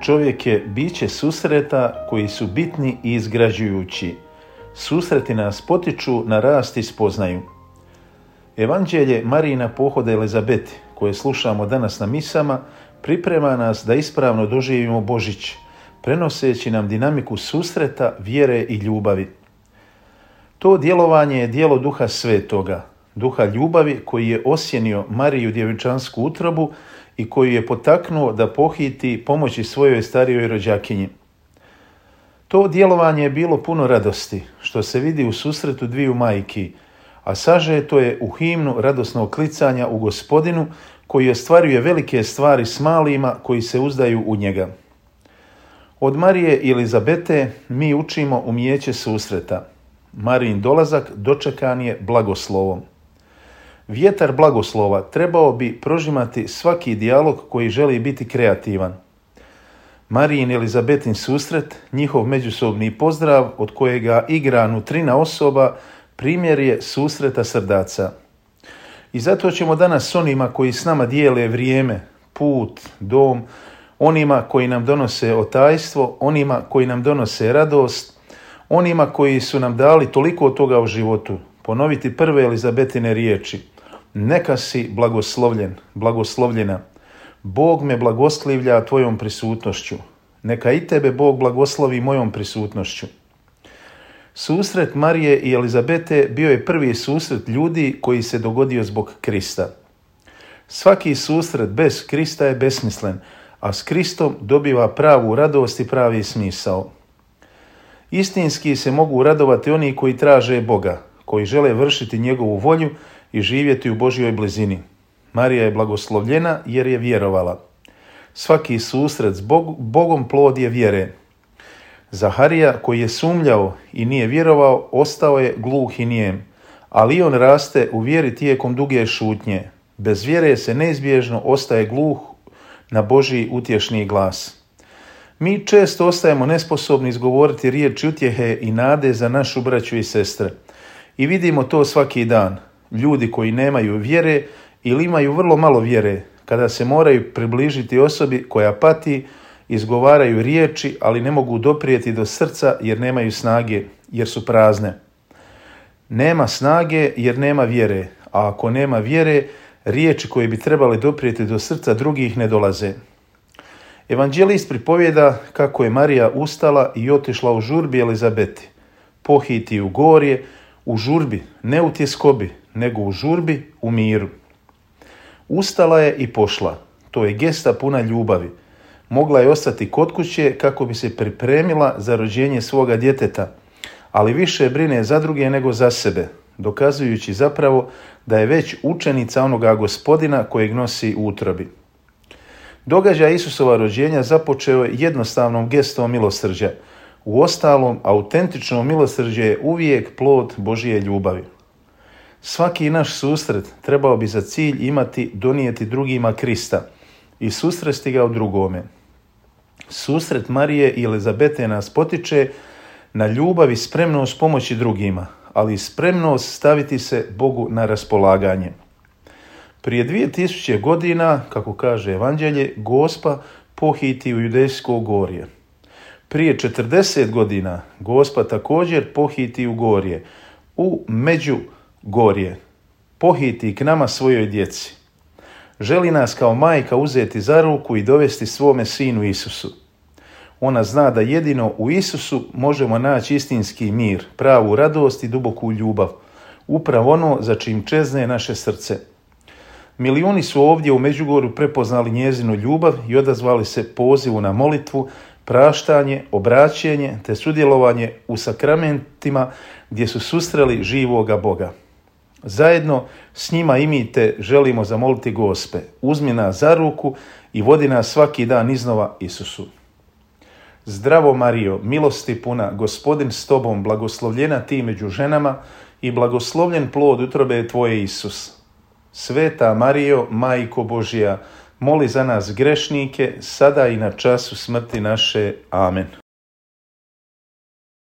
Čovjek je biće susreta koji su bitni i izgrađujući. Susreti nas potiču na rast i spoznaju. Evanđelje Marijina pohoda Elizabeti, koje slušamo danas na misama, priprema nas da ispravno doživimo Božić, prenoseći nam dinamiku susreta, vjere i ljubavi. To djelovanje je djelo Duha Svetoga, Duha ljubavi koji je osjenio Mariju djevičansku utrobu i koji je potaknuo da pohiti pomoći svojoj starijoj rođakinji. To djelovanje je bilo puno radosti, što se vidi u susretu dviju majki, a sažeto je u himnu radosnog klicanja u Gospodinu koji ostvaruje velike stvari s malima koji se uzdaju u njega. Od Marije i Elizabete mi učimo umijeće susreta. Marijin dolazak dočekan je blagoslovom. Vjetar blagoslova trebao bi prožimati svaki dijalog koji želi biti kreativan. Marijin i Elizabetin susret, njihov međusobni pozdrav od kojega igra nutrina osoba, primjer je susreta srdaca. I zato ćemo danas s onima koji s nama dijele vrijeme, put, dom, onima koji nam donose otajstvo, onima koji nam donose radost, onima koji su nam dali toliko toga u životu, ponoviti prve Elizabetine riječi. Neka si blagoslovljen, blagoslovljena. Bog me blagoslivlja tvojom prisutnošću. Neka i tebe Bog blagoslovi mojom prisutnošću. Susret Marije i Elizabete bio je prvi susret ljudi koji se dogodio zbog Krista. Svaki susret bez Krista je besmislen, a s Kristom dobiva pravu radost i pravi smisao. Istinski se mogu radovati oni koji traže Boga, koji žele vršiti njegovu volju i živjeti u Božjoj blizini. Marija je blagoslovljena jer je vjerovala. Svaki susret s Bogom plod je vjere. Zaharija, koji je sumnjao i nije vjerovao, ostao je gluh i nijem, ali on raste u vjeri tijekom duge šutnje. Bez vjere se neizbježno ostaje gluh na Božji utješni glas. Mi često ostajemo nesposobni izgovoriti riječi utjehe i nade za našu braću i sestre. I vidimo to svaki dan. Ljudi koji nemaju vjere ili imaju vrlo malo vjere, kada se moraju približiti osobi koja pati, izgovaraju riječi, ali ne mogu doprijeti do srca jer nemaju snage, jer su prazne. Nema snage jer nema vjere, a ako nema vjere, riječi koje bi trebale doprijeti do srca drugih ne dolaze. Evanđelist pripovijeda kako je Marija ustala i otišla u žurbi Elizabeti. Pohiti u gorje, u žurbi, ne u tjeskobi, nego u žurbi, u miru. Ustala je i pošla. To je gesta puna ljubavi. Mogla je ostati kod kuće kako bi se pripremila za rođenje svoga djeteta, ali više brine za druge nego za sebe, dokazujući zapravo da je već učenica onoga Gospodina kojeg nosi u utrobi. Događaj Isusova rođenja započeo je jednostavnom gestom milosrđa. Uostalom, autentično milosrđe je uvijek plod Božje ljubavi. Svaki naš susret trebao bi za cilj imati donijeti drugima Krista i susresti ga u drugome. Susret Marije i Elizabete nas potiče na ljubav i spremnost pomoći drugima, ali i spremnost staviti se Bogu na raspolaganje. Prije 2000 godina, kako kaže Evanđelje, Gospa pohiti u Judejsko gorje. Prije 40 godina Gospa također pohiti u gorje, u Međugorje. Pohiti k nama svojoj djeci. Želi nas kao majka uzeti za ruku i dovesti svome sinu Isusu. Ona zna da jedino u Isusu možemo naći istinski mir, pravu radost i duboku ljubav, upravo ono za čim čezne naše srce. Milijuni su ovdje u Međugorju prepoznali njezinu ljubav i odazvali se pozivu na molitvu, praštanje, obraćenje te sudjelovanje u sakramentima gdje su susreli živoga Boga. Zajedno s njima i mi te želimo zamoliti Gospe, uzmi nas za ruku i vodi nas svaki dan iznova Isusu. Zdravo Marijo, milosti puna, Gospodin s tobom, blagoslovljena ti među ženama i blagoslovljen plod utrobe tvoje Isus. Sveta Marijo, Majko Božja, moli za nas grešnike, sada i na času smrti naše. Amen.